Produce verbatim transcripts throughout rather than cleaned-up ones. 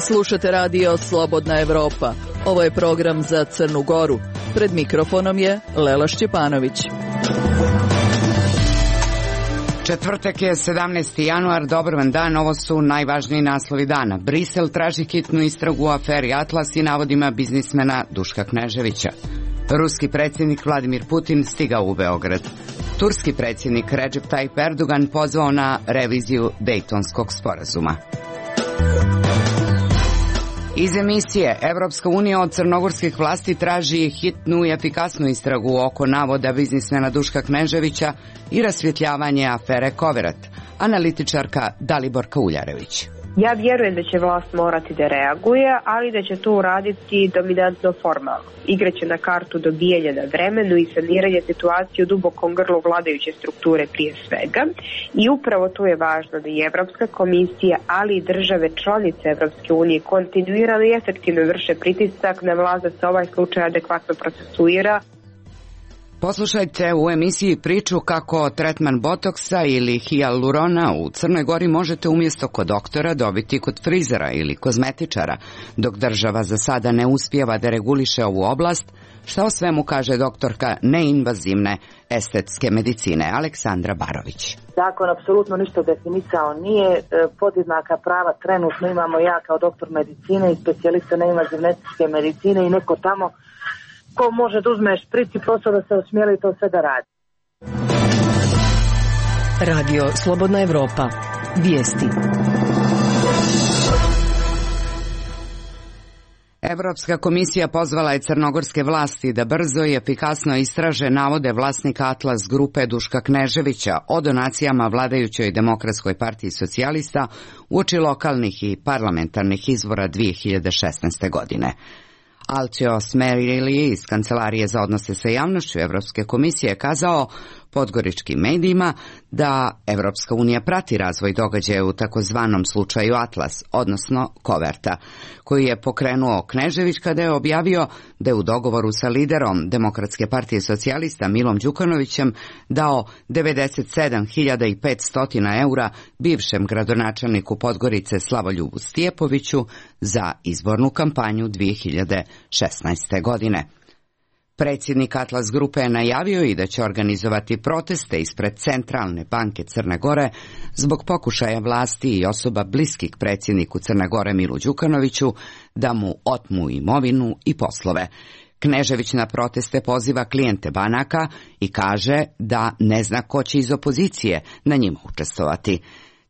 Slušate radio Slobodna Evropa. Ovo je program za Crnu Goru. Pred mikrofonom je Lela Šćepanović. Četvrtak je sedamnaesti januar, dobar vam dan, ovo su najvažniji naslovi dana. Brisel traži hitnu istragu u aferi Atlas i navodima biznismena Duška Kneževića. Ruski predsjednik Vladimir Putin stigao u Beograd. Turski predsjednik Recep Tayyip Erdogan pozvao na reviziju Dejtonskog sporazuma. Iz emisije Evropska unija od crnogorskih vlasti traži hitnu i efikasnu istragu oko navoda biznismena Duška Kneževića i rasvjetljavanje afere Koverat. Analitičarka Daliborka Uljarević. Ja vjerujem da će vlast morati da reaguje, ali da će to uraditi dominantno formalno. Igraće na kartu dobijanja na vremenu i saniranje situacije u dubokom grlu vladajuće strukture prije svega. I upravo tu je važno da i Evropska komisija, ali i države članice Evropske unije kontinuirano i efektivno vrše pritisak na vlast da se ovaj slučaj adekvatno procesuira. Poslušajte u emisiji priču kako tretman botoksa ili hijalurona u Crnoj Gori možete umjesto kod doktora dobiti kod frizera ili kozmetičara, dok država za sada ne uspijeva da reguliše ovu oblast, šta o svemu kaže doktorka neinvazivne estetske medicine Aleksandra Barović. Zakon apsolutno ništa definicao nije, podjednaka prava trenutno imamo ja kao doktor medicine i specijalista neinvazivne estetske medicine i neko tamo ko može da uzme špric i prosto da se osmijeli i to sve da radi. Radio Slobodna Evropa. Vijesti. Evropska komisija pozvala je crnogorske vlasti da brzo i efikasno istraže navode vlasnika Atlas grupe Duška Kneževića o donacijama vladajućoj Demokratskoj partiji socijalista uoči lokalnih i parlamentarnih izbora dvije hiljade šesnaeste. godine. Alcio Smerili iz Kancelarije za odnose sa javnošću Evropske komisije je kazao podgoričkim medijima da Evropska unija prati razvoj događaja u takozvanom slučaju Atlas, odnosno Koverta, koji je pokrenuo Knežević kada je objavio da je u dogovoru sa liderom Demokratske partije socijalista Milom Đukanovićem dao devedeset sedam hiljada petsto eura bivšem gradonačelniku Podgorice Slavoljubu Stijepoviću za izbornu kampanju dvije hiljade šesnaeste. godine. Predsjednik Atlas grupe je najavio i da će organizovati proteste ispred Centralne banke Crne Gore zbog pokušaja vlasti i osoba bliskih predsjedniku Crne Gore Milu Đukanoviću da mu otmu imovinu i poslove. Knežević na proteste poziva klijente banaka i kaže da ne zna ko će iz opozicije na njima učestvovati.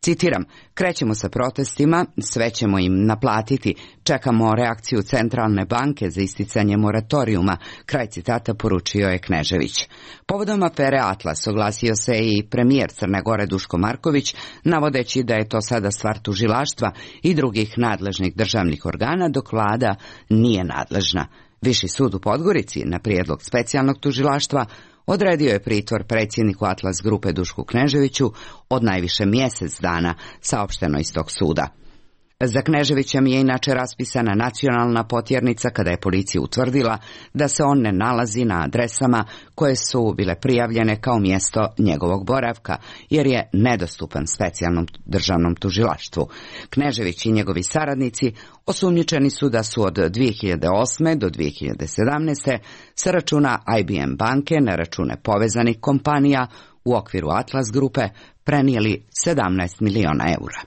Citiram, krećemo sa protestima, sve ćemo im naplatiti, čekamo reakciju Centralne banke za isticanje moratorijuma, kraj citata poručio je Knežević. Povodom afere Atlas oglasio se i premijer Crne Gore Duško Marković, navodeći da je to sada stvar tužilaštva i drugih nadležnih državnih organa, dok vlada nije nadležna. Viši sud u Podgorici, na prijedlog specijalnog tužilaštva, odredio je pritvor predsjedniku Atlas grupe Dušku Kneževiću od najviše mjesec dana, saopšteno iz tog suda. Za Kneževićem je inače raspisana nacionalna potjernica kada je policija utvrdila da se on ne nalazi na adresama koje su bile prijavljene kao mjesto njegovog boravka, jer je nedostupan specijalnom državnom tužilaštvu. Knežević i njegovi saradnici osumnjičeni su da su od dvije hiljade osme. do dvije hiljade sedamnaeste. sa računa I B M banke na račune povezanih kompanija u okviru Atlas grupe prenijeli sedamnaest miliona eura.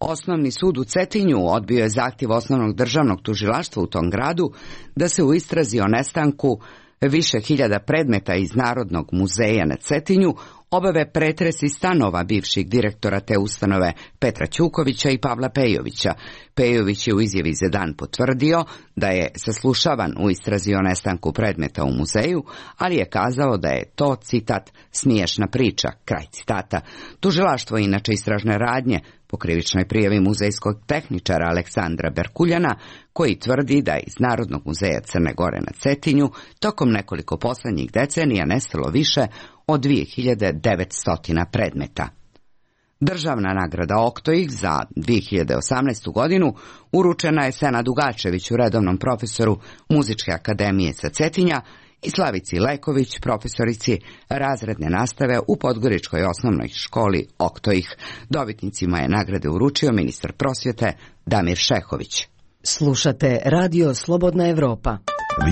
Osnovni sud u Cetinju odbio je zahtjev osnovnog državnog tužilaštva u tom gradu da se u istrazi o nestanku više hiljada predmeta iz Narodnog muzeja na Cetinju obave pretresi stanova bivših direktora te ustanove Petra Ćukovića i Pavla Pejovića. Pejović je u izjavi za Dan potvrdio da je saslušavan u istrazi o nestanku predmeta u muzeju, ali je kazao da je to, citat, smiješna priča, kraj citata. Tužilaštvo inače istražne radnje po krivičnoj prijavi muzejskog tehničara Aleksandra Berkuljana, koji tvrdi da je iz Narodnog muzeja Crne Gore na Cetinju tokom nekoliko posljednjih decenija nestalo više od dvije hiljade devetsto predmeta. Državna nagrada Oktoih za dvije hiljade osamnaestu. godinu uručena je Senadu Gačeviću, redovnom profesoru Muzičke akademije sa Cetinja, i Slavici Leković, profesorici razredne nastave u Podgoričkoj osnovnoj školi Oktoih. Dobitnicima je nagrade uručio ministar prosvjete Damir Šehović. Slušate Radio Slobodna Evropa.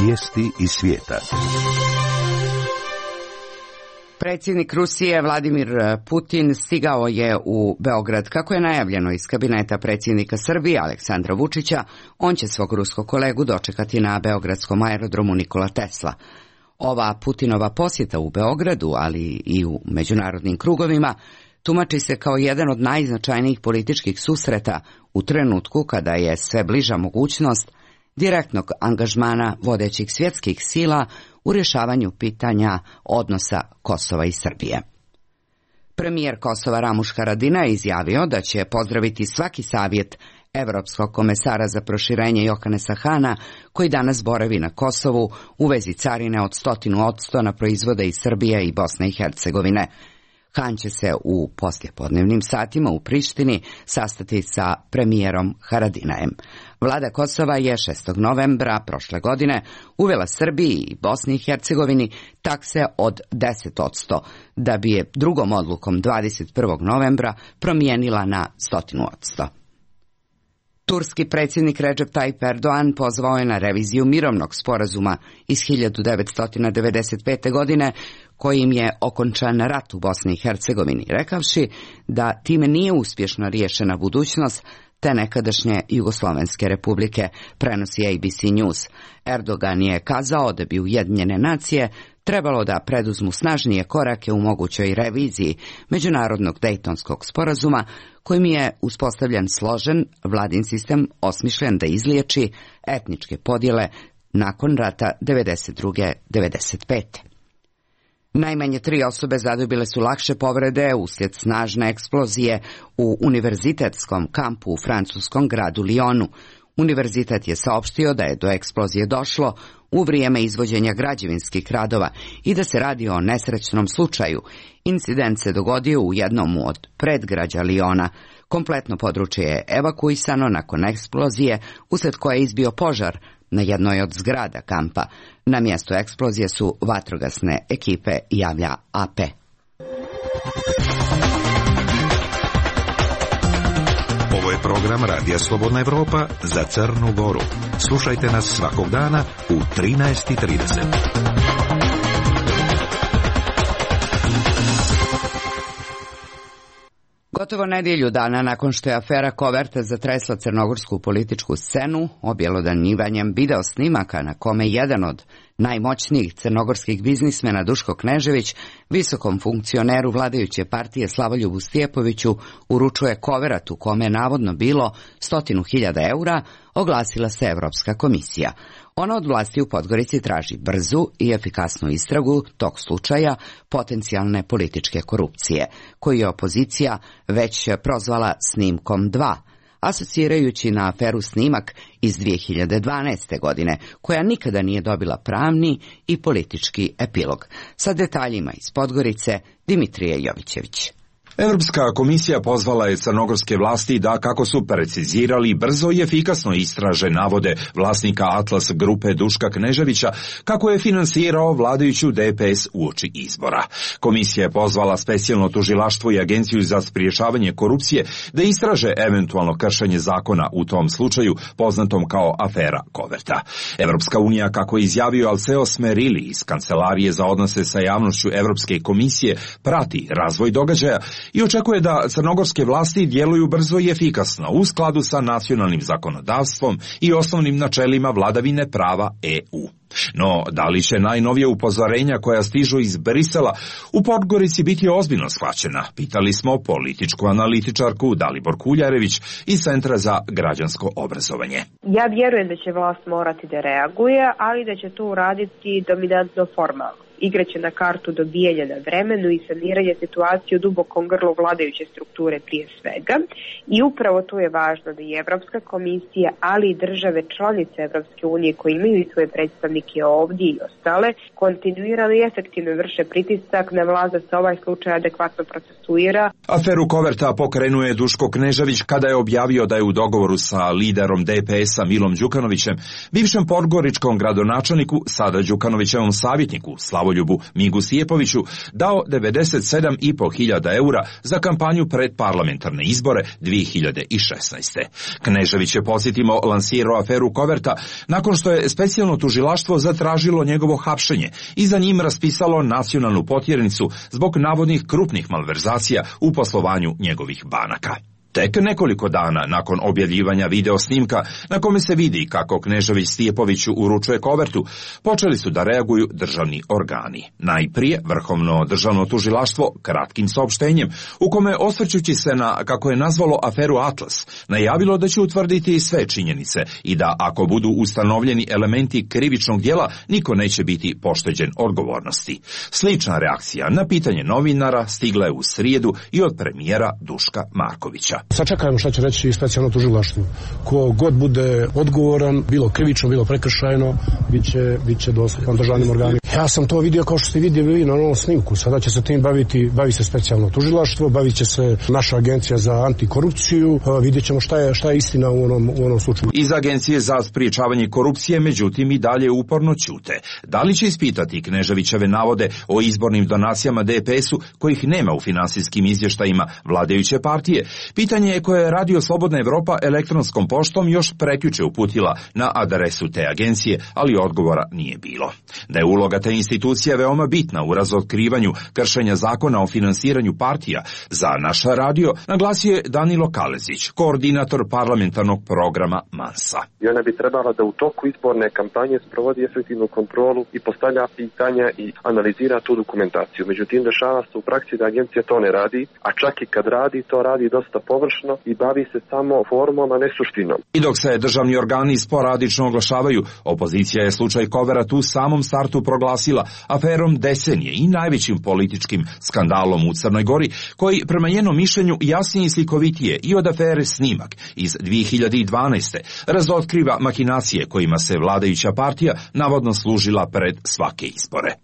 Vijesti iz svijeta. Predsjednik Rusije Vladimir Putin stigao je u Beograd. Kako je najavljeno iz kabineta predsjednika Srbije Aleksandra Vučića, on će svog ruskog kolegu dočekati na beogradskom aerodromu Nikola Tesla. Ova Putinova posjeta u Beogradu, ali i u međunarodnim krugovima, tumači se kao jedan od najznačajnijih političkih susreta u trenutku kada je sve bliža mogućnost direktnog angažmana vodećih svjetskih sila u rješavanju pitanja odnosa Kosova i Srbije. Premijer Kosova Ramuš Haradinaj je izjavio da će pozdraviti svaki savjet Evropskog komesara za proširenje Johanesa Hana, koji danas boravi na Kosovu u vezi carine od stotinu odsto na proizvode iz Srbije i Bosne i Hercegovine. Han će se u poslijepodnevnim satima u Prištini sastati sa premijerom Haradinajem. Vlada Kosova je šestog novembra prošle godine uvela Srbiji i Bosni i Hercegovini takse od deset odsto, da bi je drugom odlukom dvadeset prvog novembra promijenila na stotinu odsto. Turski predsjednik Recep Tayyip Erdogan pozvao je na reviziju mirovnog sporazuma iz hiljadu devetsto devedeset pete. godine, kojim je okončan rat u Bosni i Hercegovini, rekavši da time nije uspješno riješena budućnost te nekadašnje Jugoslovenske republike, prenosi A B C News. Erdogan je kazao da bi Ujedinjene nacije trebalo da preduzmu snažnije korake u mogućoj reviziji međunarodnog Dejtonskog sporazuma, kojim je uspostavljen složen vladin sistem osmišljen da izliječi etničke podjele nakon rata devedeset druge do devedeset pete. Najmanje tri osobe zadobile su lakše povrede uslijed snažne eksplozije u univerzitetskom kampu u francuskom gradu Lyonu. Univerzitet je saopštio da je do eksplozije došlo u vrijeme izvođenja građevinskih radova i da se radi o nesrećnom slučaju. Incident se dogodio u jednom od predgrađa Lyona. Kompletno područje je evakuisano nakon eksplozije, uslijed koje je izbio požar na jednoj od zgrada kampa. Na mjestu eksplozije su vatrogasne ekipe, javlja A P. Ovo je program Radija Slobodna Evropa za Crnu Goru. Slušajte nas svakog dana u trinaest i trideset. Gotovo nedjelju dana nakon što je afera Koverta zatresla crnogorsku političku scenu, objelodanjivanjem video snimaka na kome jedan od najmoćnijih crnogorskih biznismena Duško Knežević, visokom funkcioneru vladajuće partije Slavoljubu Stjepoviću, uručuje koverat u kome je navodno bilo stotinu hiljada eura, oglasila se Evropska komisija. Ona od vlasti u Podgorici traži brzu i efikasnu istragu tog slučaja potencijalne političke korupcije, koju je opozicija već prozvala snimkom dva, asocirajući na aferu Snimak iz dvije hiljade dvanaeste. godine, koja nikada nije dobila pravni i politički epilog. Sa detaljima iz Podgorice, Dimitrije Jovićević. Europska komisija pozvala je crnogorske vlasti da, kako su precizirali, brzo i efikasno istraže navode vlasnika Atlas grupe Duška Kneževića kako je finansirao vladajuću D P S uoči izbora. Komisija je pozvala specijalno tužilaštvo i Agenciju za sprječavanje korupcije da istraže eventualno kršenje zakona u tom slučaju, poznatom kao afera Koverta. Europska unija, kako je izjavio Alceo Smerili iz Kancelarije za odnose sa javnošću Europske komisije, prati razvoj događaja i očekuje da crnogorske vlasti djeluju brzo i efikasno u skladu sa nacionalnim zakonodavstvom i osnovnim načelima vladavine prava E U. No, da li će najnovije upozorenja koja stižu iz Brisela u Podgorici biti ozbiljno shvaćena? Pitali smo političku analitičarku Dalibor Kuljarević iz Centra za građansko obrazovanje. Ja vjerujem da će vlast morati da reaguje, ali da će to uraditi dominantno formalno. Igraće na kartu dobijanja na vremenu i saniranje situacije u dubokom grlu vladajuće strukture prije svega. I upravo tu je važno da i Evropska komisija, ali i države članice Evropske unije koji imaju svoje predstavnike sljedbenike ovdje i ostale, kontinuirano i efektivno vrše pritisak na vlast da se ovaj slučaj adekvatno procesuira. Aferu Koverta pokrenuo je Duško Knežević kada je objavio da je u dogovoru sa liderom D P S-a Milom Đukanovićem, bivšem podgoričkom gradonačelniku, sada Đukanovićevom savjetniku Slavoljubu Migu Sjepoviću, dao devedeset sedam i po hiljada eura za kampanju pred parlamentarne izbore dvije hiljade šesnaeste. Knežević je, podsjetimo, lansirao aferu Koverta nakon što je specijalno tužilaštvo zatražilo njegovo hapšenje i za njim raspisalo nacionalnu potjernicu zbog navodnih krupnih malverzacija u poslovanju njegovih banaka. Tek nekoliko dana nakon objavljivanja video snimka na kome se vidi kako Knežević Stijepoviću uručuje kovertu, počeli su da reaguju državni organi. Najprije Vrhovno državno tužilaštvo kratkim saopštenjem u kome, osvrćući se na, kako je nazvalo, aferu Atlas, najavilo da će utvrditi sve činjenice i da ako budu ustanovljeni elementi krivičnog djela, niko neće biti pošteđen odgovornosti. Slična reakcija na pitanje novinara stigla je u srijedu i od premijera Duška Markovića. Sačekajmo šta će reći specijalno tužilaštvo. Ko god bude odgovoran, bilo krivično, bilo prekršajno, bit će, bit će dostupan državnim organima. Ja sam to vidio kao što ste vidjeli na ovom snimku. Sada će se tim baviti, bavi se specijalno tužilaštvo, bavit će se naša agencija za antikorupciju, vidjet ćemo šta je, šta je istina u onom, u onom slučaju. Iz Agencije za spriječavanje korupcije, međutim, i dalje uporno ćute. Da li će ispitati Kneževićeve navode o izbornim donacijama D P S-u, kojih nema u finansijskim izvještajima vladajuće partije? Pitanje je koje je Radio Slobodna Evropa elektronskom poštom još prekjuče uputila na adresu te agencije, ali odgovora nije bilo. Da je uloga te institucije veoma bitna u razotkrivanju kršenja zakona o finansiranju partija, za naš radio naglasio je Danilo Kalezić, koordinator parlamentarnog programa Mansa. I ona bi trebala da u toku izborne kampanje sprovodi efektivnu kontrolu i postavlja pitanja i analizira tu dokumentaciju. Međutim, dešava se u praksi da agencija to ne radi, a čak i kad radi, to radi dosta površno i bavi se samo formom, a ne suštinom. I dok se državni organi sporadično oglašavaju, opozicija je slučaj Koverat u samom startu proglasila aferom decenije i najvećim političkim skandalom u Crnoj Gori, koji prema njenom mišljenju jasnije i slikovitije i od afere Snimak iz dvije hiljade dvanaeste razotkriva mahinacije kojima se vladajuća partija navodno služila pred svake izbore.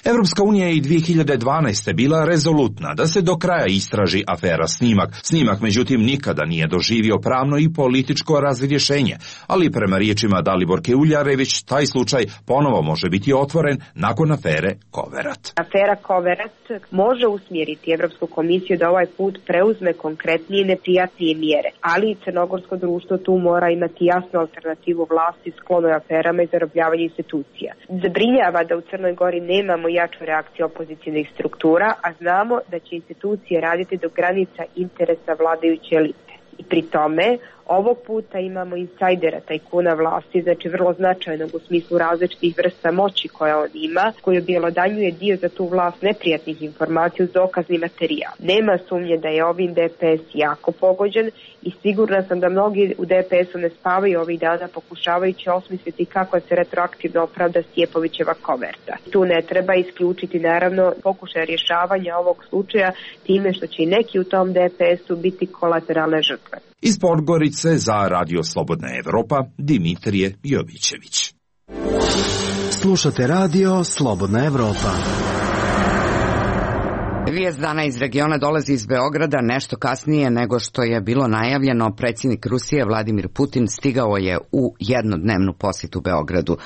Evropska unija je i dvije hiljade dvanaeste bila rezolutna da se do kraja istraži afera Snimak. Snimak, međutim, nikada nije doživio pravno i političko razrješenje, ali prema riječima Daliborke Uljarević, taj slučaj ponovo može biti otvoren nakon afere Koverat. Afera Koverat može usmjeriti Evropsku komisiju da ovaj put preuzme konkretnije i neprijatnije mjere, ali crnogorsko društvo tu mora imati jasnu alternativu vlasti sklonoj aferama i zarobljavanje institucija. Zabrinjava da u Crnoj Gori nemamo jaču reakciju opozicijnih struktura, a znamo da će institucije raditi do granica interesa vladajuće elite. I pri tome, ovog puta imamo insajdera, tajkuna vlasti, znači vrlo značajnog u smislu različitih vrsta moći koja on ima, koji objelodanjuje dio za tu vlast neprijatnih informacija uz dokazni materijal. Nema sumnje da je ovim D P S jako pogođen i sigurna sam da mnogi u D P S-u ne spavaju ovih dana pokušavajući osmisliti kako se retroaktivno opravda Stjepovićeva koverta. Tu ne treba isključiti naravno pokušaj rješavanja ovog slučaja time što će i neki u tom D P S-u biti kolateralne žrtve. Iz Podgorice za Radio Slobodna Evropa, Dimitrije Jovićević. Slušate Radio Slobodna Evropa. Vijest dana iz regiona dolazi iz Beograda nešto kasnije nego što je bilo najavljeno. Predsjednik Rusije Vladimir Putin stigao je u jednodnevnu posjetu Beogradu.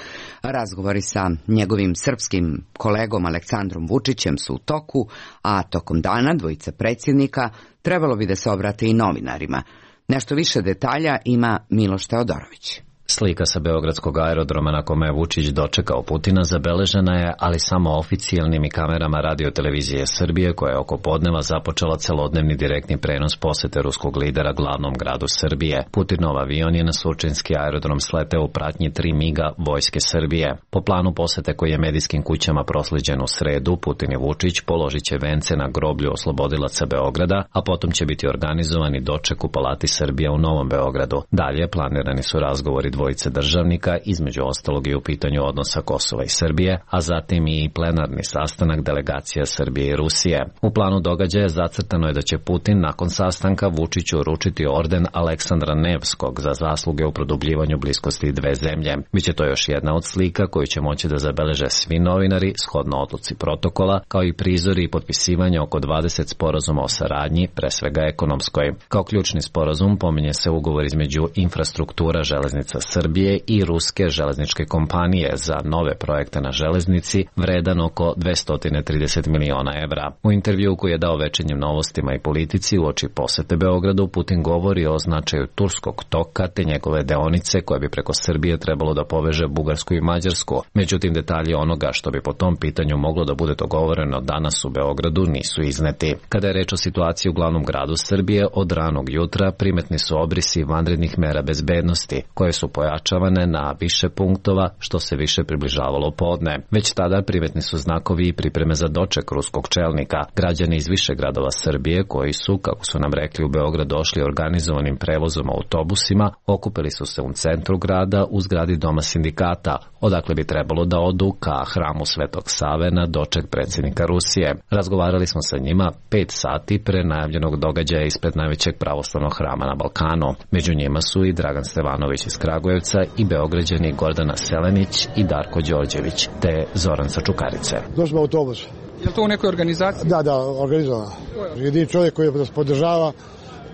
Razgovori sa njegovim srpskim kolegom Aleksandrom Vučićem su u toku, a tokom dana dvojica predsjednika trebalo bi da se obrate i novinarima. Nešto više detalja ima Miloš Teodorović. Slika sa beogradskog aerodroma na kome je Vučić dočekao Putina zabeležena je, ali samo oficijalnim i kamerama Radio-televizije Srbije, koja je oko podneva započela celodnevni direktni prenos posete ruskog lidera glavnom gradu Srbije. Putinov avion je na Surčinski aerodrom sleteo u pratnji tri miga Vojske Srbije. Po planu posete koji je medijskim kućama prosliđen u sredu, Putin i Vučić položit će vence na groblju oslobodilaca Beograda, a potom će biti organizovani doček u Palati Srbije u Novom Beogradu. Dalje planirani su razgovori dvojice državnika, između ostalog i u pitanju odnosa Kosova i Srbije, a zatim i plenarni sastanak delegacija Srbije i Rusije. U planu događaja zacrtano je da će Putin nakon sastanka Vučiću uručiti orden Aleksandra Nevskog za zasluge u produbljivanju bliskosti dve zemlje. Biće to još jedna od slika koju će moći da zabeleže svi novinari shodno odluci protokola, kao i prizori i potpisivanje oko dvadeset sporazuma o saradnji, pre svega ekonomskoj. Kao ključni sporazum pominje se ugovor između Infrastruktura železnica Srbije i Ruske železničke kompanije za nove projekte na železnici vredan oko dvesta trideset miliona evra. U intervju koji je dao Večernjim novostima i Politici uoči posete Beogradu, Putin govori o značaju Turskog toka te njegove deonice koja bi preko Srbije trebalo da poveže Bugarsku i Mađarsku. Međutim, detalji onoga što bi po tom pitanju moglo da bude dogovoreno danas u Beogradu nisu izneti. Kada je reč o situaciji u glavnom gradu Srbije, od ranog jutra primetni su obrisi vanrednih mera bezbednosti, koje su pojačavane na više punktova što se više približavalo podne. Već tada primetni su znakovi i pripreme za doček ruskog čelnika. Građani iz više gradova Srbije koji su, kako su nam rekli, u Beograd došli organizovanim prevozom autobusima, okupili su se u centru grada u zgradi Doma sindikata, odakle bi trebalo da odu ka hramu Svetog Save na doček predsjednika Rusije. Razgovarali smo sa njima pet sati pre najavljenog događaja ispred najvećeg pravoslavnog hrama na Balkanu. Među njima su i Dragan Stevanović iz Kragujevca i Beograđani Gordana Selenić i Darko Đorđević, te Zoran sa Čukarice. Došli autobus. Je li to u nekoj organizaciji? Da, da, organizovano. Jedin čovjek koji nas podržava,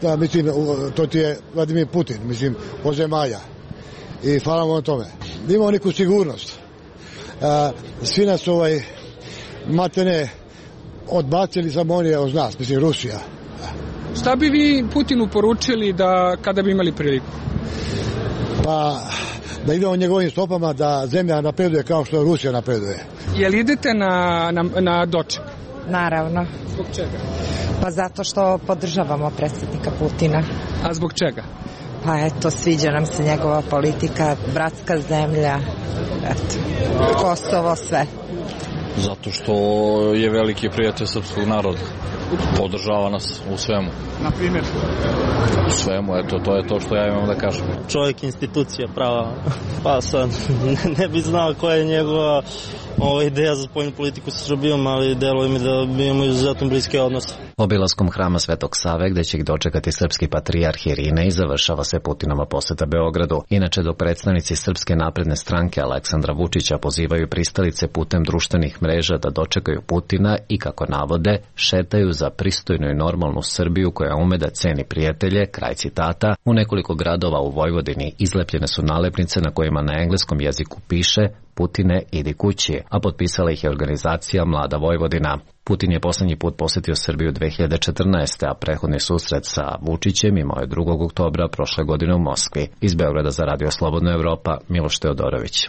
da, mislim, to ti je Vladimir Putin, mislim, od zemalja. I hvala mu na tome. Da imamo neku sigurnost. A, svi nas ovaj matene odbacili, samo on je od nas, mislim, Rusija. Šta bi vi Putinu poručili da kada bi imali priliku? Pa, da idemo njegovim stopama, da zemlja napreduje kao što Rusija napreduje. Jel idete na, na, na doček? Naravno. Zbog čega? Pa zato što podržavamo predsjednika Putina. A zbog čega? Pa eto, sviđa nam se njegova politika, bratska zemlja, eto, Kosovo, sve. Zato što je veliki prijatelj srpskog naroda. Podržava nas u svemu. Na primjer? U svemu, eto, to je to što ja imam da kažem. Čovjek institucija prava, pa sad ne bi znao koja je njegova ova ideja za spoljnu politiku sa Srbijom, ali deluje mi da imamo izuzetno bliske odnose. Obilaskom hrama Svetog Save, gde će ih dočekati srpski patrijarh Irinej, završava se Putinova poseta Beogradu. Inače, dok predstavnici Srpske napredne stranke Aleksandra Vučića pozivaju pristalice putem društvenih mreža da dočekaju Putina i, kako navode, šetaju za pristojnu i normalnu Srbiju koja ume da ceni prijatelje, kraj citata, u nekoliko gradova u Vojvodini izlepljene su nalepnice na kojima na engleskom jeziku piše Putine, idi kući, a potpisala ih je organizacija Mlada Vojvodina. Putin je poslednji put posetio Srbiju dve hiljade četrnaeste. a prethodni susret sa Vučićem imao je drugog oktobra prošle godine u Moskvi. Iz Beograda za Radio Slobodna Evropa, Miloš Teodorović.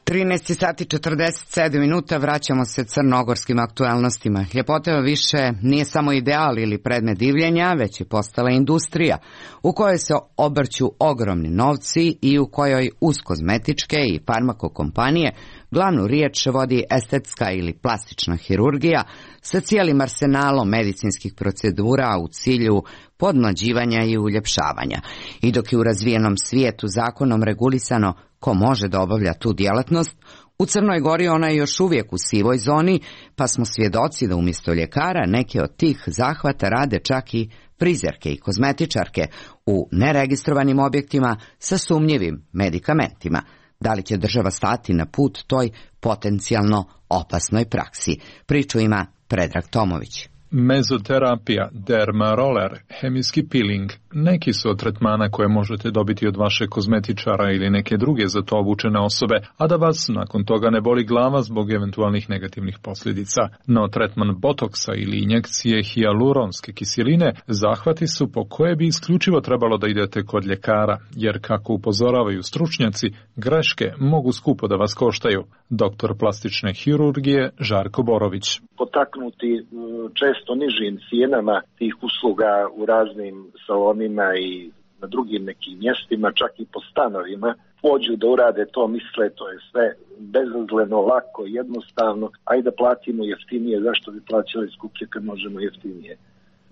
trinaest sati četrdeset sedam minuta, vraćamo se crnogorskim aktualnostima. Ljepota više nije samo ideal ili predmet divljenja, već je postala industrija u kojoj se obrću ogromni novci i u kojoj uz kozmetičke i farmako kompanije glavnu riječ vodi estetska ili plastična hirurgija sa cijelim arsenalom medicinskih procedura u cilju podmlađivanja i uljepšavanja. I dok je u razvijenom svijetu zakonom regulisano ko može da obavlja tu djelatnost, u Crnoj Gori ona je još uvijek u sivoj zoni, pa smo svjedoci da umjesto ljekara neke od tih zahvata rade čak i frizerke i kozmetičarke u neregistrovanim objektima sa sumnjivim medikamentima. Da li će država stati na put toj potencijalno opasnoj praksi? Priču ima Predrag Tomović. Mezoterapija, dermaroller, hemijski peeling, neki su od tretmana koje možete dobiti od vaše kozmetičara ili neke druge za to obučene osobe, a da vas nakon toga ne boli glava zbog eventualnih negativnih posljedica. No tretman botoksa ili injekcije hijaluronske kiseline zahvati su po koje bi isključivo trebalo da idete kod ljekara, jer kako upozoravaju stručnjaci, greške mogu skupo da vas koštaju. Doktor plastične hirurgije Žarko Borović. Potaknuti često nižim cijenama tih usluga u raznim salonima i na drugim nekim mjestima, čak i po stanovima, pođu da urade to, misle to je sve bezazleno, lako, jednostavno, ajde da platimo jeftinije, zašto bi plaćali skuplje kad možemo jeftinije.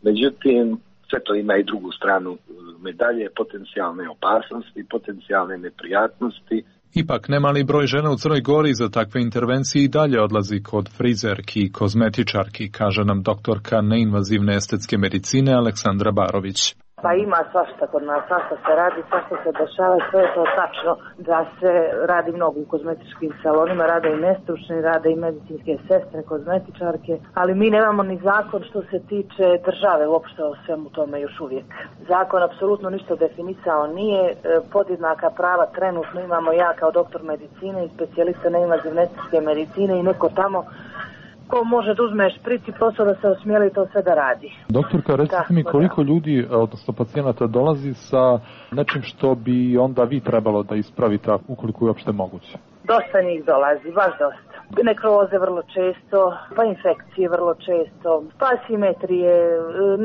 Međutim, sve to ima i drugu stranu medalje, potencijalne opasnosti, potencijalne neprijatnosti. Ipak nemali broj žena u Crnoj Gori za takve intervencije i dalje odlazi kod frizerki i kozmetičarki, kaže nam doktorka neinvazivne estetske medicine Aleksandra Barović. Pa ima svašta kod nas, svašta se radi, svašta se dešava, sve je to tačno da se radi mnogo u kozmetičkim salonima, rade i nestručni, rade i medicinske sestre, kozmetičarke, ali mi nemamo ni zakon što se tiče države uopšte o svemu tome još uvijek. Zakon apsolutno ništa definisao nije, podjednaka prava trenutno imamo ja kao doktor medicine i specijalista neinvazivne estetske medicine i neko tamo ko može da uzme špric i prosto da se osmijeli to sve da radi. Doktorka, recite mi koliko ljudi, odnosno pacijenata, dolazi sa nečim što bi onda vi trebalo da ispravite ukoliko je uopšte moguće? Dosta njih dolazi, baš dosta. Nekroze vrlo često, pa infekcije vrlo često, pa simetrije,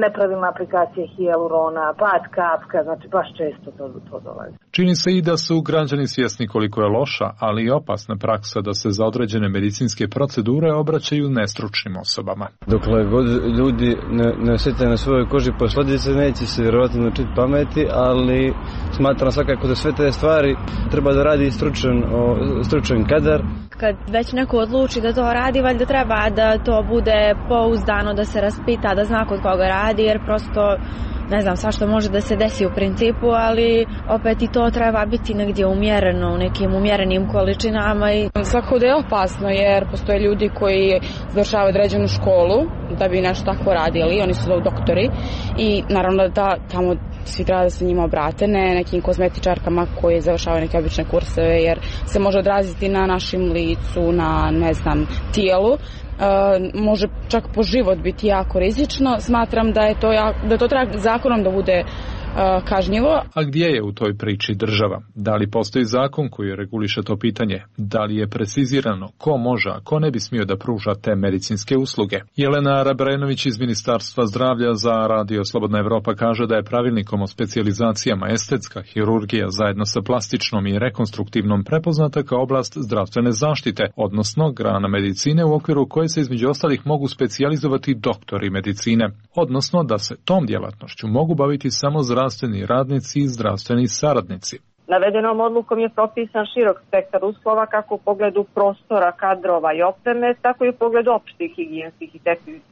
nepravilna aplikacija hijalurona, pad kapka, znači baš često to, to dolazi. Čini se i da su građani svjesni koliko je loša, ali i opasna praksa da se za određene medicinske procedure obraćaju nestručnim osobama. Dokle god ljudi ne, ne osjete na svojoj koži posljedice, neće se vjerovatno naučiti pameti, ali smatram svakako da sve te stvari treba da radi stručan, o, stručan kadar. Kad već neko odluči da to radi, valjda treba da to bude pouzdano, da se raspita, da zna kod koga radi, jer prosto, ne znam, svašta može da se desi u principu, ali opet i to treba biti negdje umjereno, u nekim umjerenim količinama. I svakako da je opasno, jer postoje ljudi koji završavaju određenu školu da bi nešto takvo radili, oni su doktori i naravno da tamo svi treba da se njima obrate, ne nekim kozmetičarkama koji završavaju neke obične kurseve, jer se može odraziti na našem licu, na, ne znam, tijelu. E, može čak po život biti jako rizično. Smatram da je to, da to treba zakonom da bude kažnjivo. A gdje je u toj priči država? Da li postoji zakon koji reguliše to pitanje? Da li je precizirano ko može, a ko ne bi smio da pruža te medicinske usluge? Jelena Rabrenović iz Ministarstva zdravlja za Radio Slobodna Evropa kaže da je pravilnikom o specijalizacijama estetska hirurgija zajedno sa plastičnom i rekonstruktivnom prepoznata kao oblast zdravstvene zaštite, odnosno grana medicine u okviru koje se između ostalih mogu specijalizovati doktori medicine, odnosno da se tom djelatnošću mogu baviti samo zdravstveni zdravstveni radnici i zdravstveni saradnici. Navedenom odlukom je propisan širok spektar uslova kako u pogledu prostora, kadrova i opreme, tako i u pogledu opštih higijenskih i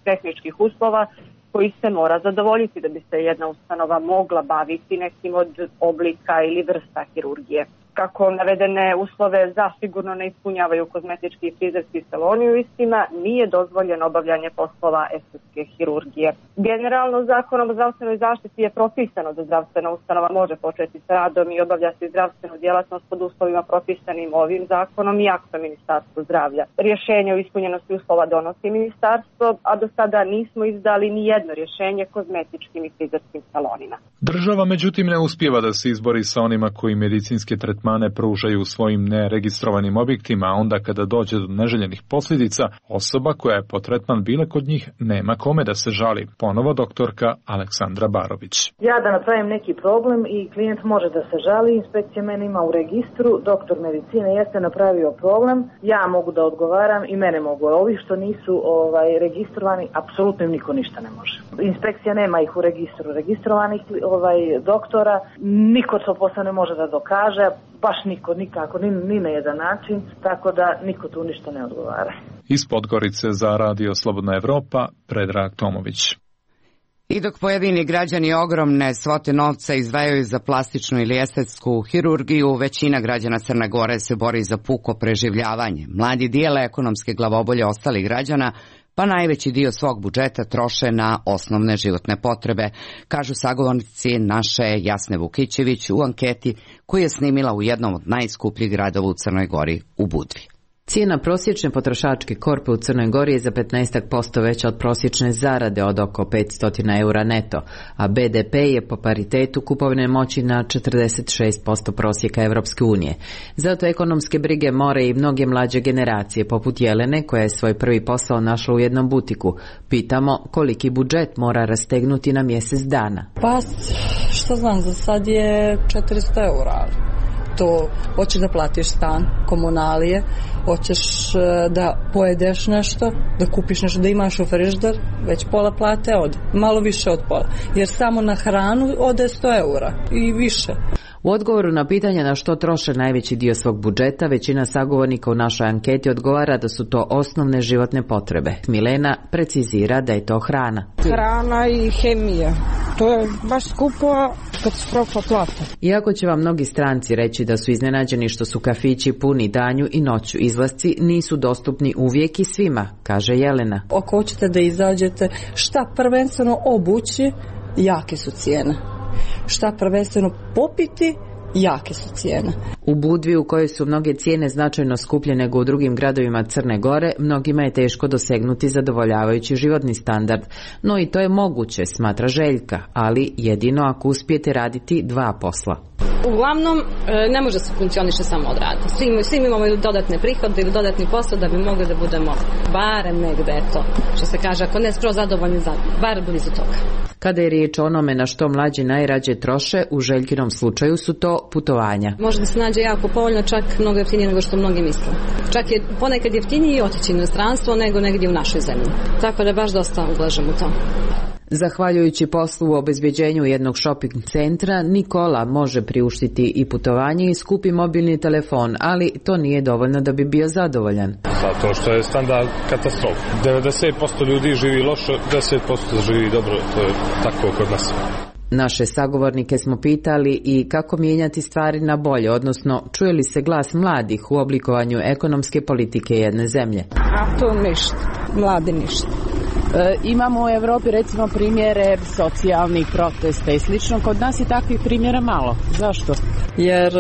tehničkih uslova koji se mora zadovoljiti da bi se jedna ustanova mogla baviti nekim od oblika ili vrsta hirurgije. Kako navedene uslove zasigurno ne ispunjavaju kozmetički i frizerski saloni u istima, nije dozvoljeno obavljanje poslova estetske hirurgije. Generalno, zakonom o zdravstvenoj zaštiti je propisano da zdravstvena ustanova može početi s radom i obavljati zdravstvenu djelatnost pod uslovima propisanim ovim zakonom i aktom Ministarstva zdravlja. Rješenje o ispunjenosti uslova donosi ministarstvo, a do sada nismo izdali ni jedno rješenje kozmetičkim i frizerskim salonima. Država međutim ne uspijeva da se izbori sa onima koji medicinske tretmane pružaju u svojim neregistrovanim objektima, a onda kada dođe do neželjenih posljedica, osoba koja je po tretman bila kod njih nema kome da se žali. Ponovo doktorka Aleksandra Barović. Ja da napravim neki problem i klijent može da se žali, inspekcija meni ima u registru, doktor medicine jeste napravio problem, ja mogu da odgovaram i mene mogu. Ovi što nisu ovaj, registrovani, apsolutno im niko ništa ne može. Inspekcija nema ih u registru registrovanih ovaj, doktora, niko to posle ne može da dokaže, baš niko, nikako, ni, ni na jedan način, tako da niko tu ništa ne odgovara. Iz Podgorice za Radio Slobodna Evropa, Predrag Tomović. I dok pojedini građani ogromne svote novca izdvajaju za plastičnu ili estetsku hirurgiju, većina građana Crne Gore se bori za puko preživljavanje. Mladi dijele ekonomske glavobolje ostalih građana, pa najveći dio svog budžeta troše na osnovne životne potrebe, kažu sagovornici naše Jasne Vukićević u anketi koju je snimila u jednom od najskupljih gradova u Crnoj Gori, u Budvi. Cijena prosječne potrošačke korpe u Crnoj Gori je za petnaest posto veća od prosječne zarade od oko petsto eura neto, a be de pe je po paritetu kupovne moći na četrdeset šest posto prosjeka Evropske unije. Zato ekonomske brige more i mnoge mlađe generacije, poput Jelene, koja je svoj prvi posao našla u jednom butiku. Pitamo koliki budžet mora rastegnuti na mjesec dana. Pa, što znam, za sad je četiristo eura. to, hoćeš da platiš stan, komunalije, hoćeš da pojedeš nešto, da kupiš nešto, da imaš u frižider, već pola plate ode, malo više od pola, jer samo na hranu ode sto eura i više. U odgovoru na pitanje na što troše najveći dio svog budžeta, većina sagovornika u našoj anketi odgovara da su to osnovne životne potrebe. Milena precizira da je to hrana. Hrana i hemija. To je baš skupo, katastrofa plata. Iako će vam mnogi stranci reći da su iznenađeni što su kafići puni danju i noću, izlasci nisu dostupni uvijek i svima, kaže Jelena. Ako hoćete da izađete, šta prvenstveno obući, jake su cijene. Šta prvenstveno popiti, jake su cijene. U Budvi, u kojoj su mnoge cijene značajno skuplje nego u drugim gradovima Crne Gore, mnogima je teško dosegnuti zadovoljavajući životni standard. No i to je moguće, smatra Željka, ali jedino ako uspijete raditi dva posla. Uglavnom, ne može se funkcioniše samo od rada. Svi, svi imamo dodatne prihode ili dodatni posao da bi mogli da budemo barem negde, eto, što se kaže, ako ne skroz zadovoljni, bar blizu toga. Kada je riječ o onome na što mlađi najrađe troše, u Željkinom slučaju su to putovanja. Može da se nađe jako povoljno, čak mnogo jeftinije nego što mnogi misle. Čak je ponekad jeftinije otići u inostranstvo nego negdje u našoj zemlji. Tako da baš dosta ulažem u to. Zahvaljujući poslu u obezbeđenju jednog shopping centra, Nikola može priuštiti i putovanje i skupi mobilni telefon, ali to nije dovoljno da bi bio zadovoljan. Zato što je standard katastrof. devedeset posto ljudi živi loše, deset posto živi dobro, to je tako kod nas. Naše sagovornike smo pitali i kako mijenjati stvari na bolje, odnosno čuje li se glas mladih u oblikovanju ekonomske politike jedne zemlje. A to ništa, mladi ništa. E, imamo u Europi recimo primjere socijalnih protesta i slično, kod nas je takvih primjera malo. Zašto? Jer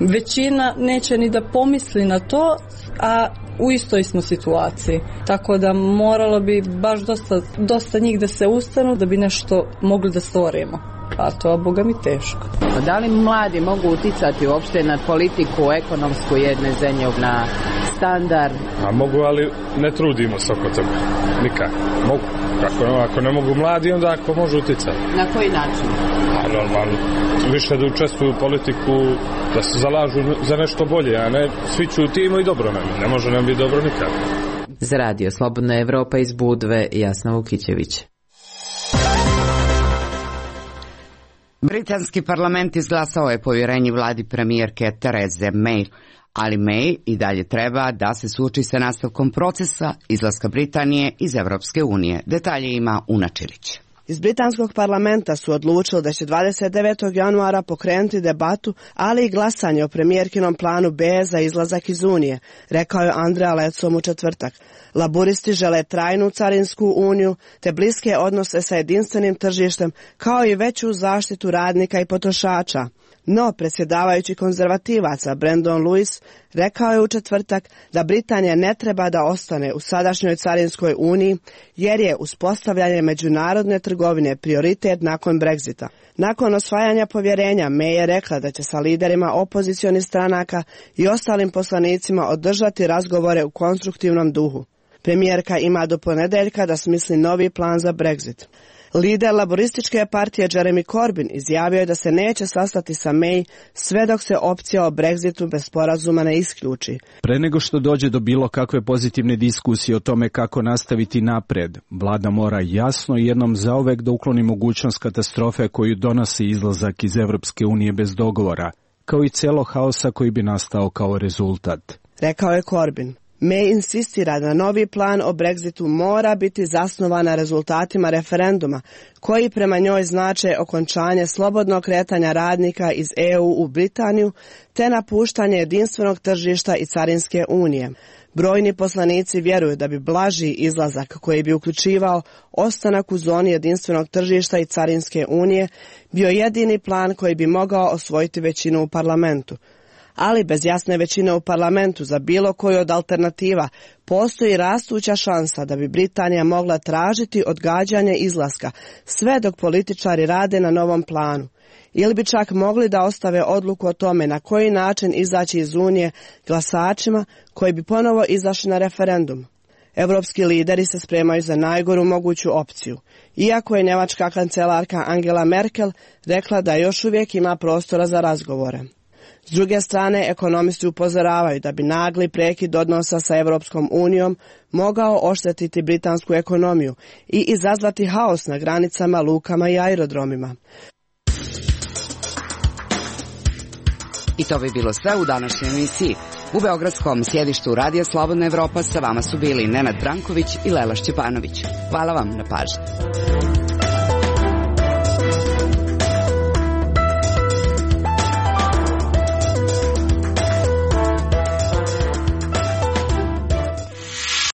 većina neće ni da pomisli na to, a u istoj smo situaciji. Tako da moralo bi baš dosta, dosta njih da se ustanu da bi nešto mogli da stvorimo. A to, boga mi, teško. A da li mladi mogu uticati uopšte na politiku ekonomsku jedne zemlje, na standard? A mogu, ali ne trudimo se oko toga. Nikako. Mogu. Kako, ako ne mogu mladi, onda ako može uticati. Na koji način? A normalno. Više da učestvuju u politiku, da se zalažu za nešto bolje, a ne svi ćutimo i dobro nam. Ne može nam biti dobro nikad. Za Radio Slobodna Evropa iz Budve, Jasna Vukićević. Britanski parlament izglasao je povjerenje vladi premijerke Therese May, ali May i dalje treba da se suoči sa nastavkom procesa izlaska Britanije iz Evropske unije. Detalje ima Una Čilić. Iz britanskog parlamenta su odlučili da će dvadeset devetog januara pokrenuti debatu, ali i glasanje o premijerkinom planu B za izlazak iz Unije, rekao je Andrea Leadsom u četvrtak. Laburisti žele trajnu carinsku uniju te bliske odnose sa jedinstvenim tržištem, kao i veću zaštitu radnika i potrošača. No, predsjedavajući konzervativaca Brandon Lewis rekao je u četvrtak da Britanija ne treba da ostane u sadašnjoj carinskoj uniji jer je uspostavljanje međunarodne trgovine prioritet nakon Brexita. Nakon osvajanja povjerenja, May je rekla da će sa liderima opozicionih stranaka i ostalim poslanicima održati razgovore u konstruktivnom duhu. Premijerka ima do ponedjeljka da smisli novi plan za Brexit. Lider laborističke partije Jeremy Corbyn izjavio je da se neće sastati sa May sve dok se opcija o Brexitu bez sporazuma ne isključi. Pre nego što dođe do bilo kakve pozitivne diskusije o tome kako nastaviti napred, vlada mora jasno i jednom zauvek da ukloni mogućnost katastrofe koju donosi izlazak iz Evropske unije bez dogovora, kao i celo haosa koji bi nastao kao rezultat. Rekao je Corbyn. May insistira da novi plan o Brexitu mora biti zasnovan na rezultatima referenduma, koji prema njoj znače okončanje slobodnog kretanja radnika iz E U u Britaniju, te napuštanje jedinstvenog tržišta i carinske unije. Brojni poslanici vjeruju da bi blaži izlazak koji bi uključivao ostanak u zoni jedinstvenog tržišta i carinske unije bio jedini plan koji bi mogao osvojiti većinu u parlamentu. Ali bez jasne većine u parlamentu za bilo koju od alternativa postoji rastuća šansa da bi Britanija mogla tražiti odgađanje izlaska sve dok političari rade na novom planu. Ili bi čak mogli da ostave odluku o tome na koji način izaći iz Unije glasačima koji bi ponovo izašli na referendum. Evropski lideri se spremaju za najgoru moguću opciju, iako je njemačka kancelarka Angela Merkel rekla da još uvijek ima prostora za razgovore. S druge strane, ekonomisti upozoravaju da bi nagli prekid odnosa sa Evropskom unijom mogao oštetiti britansku ekonomiju i izazvati haos na granicama, lukama i aerodromima. I to bi bilo sve u današnjoj emisiji. U beogradskom sjedištu Radija Slobodna Evropa sa vama su bili Nenad Branković i Lela Šćepanović. Hvala vam na pažnji.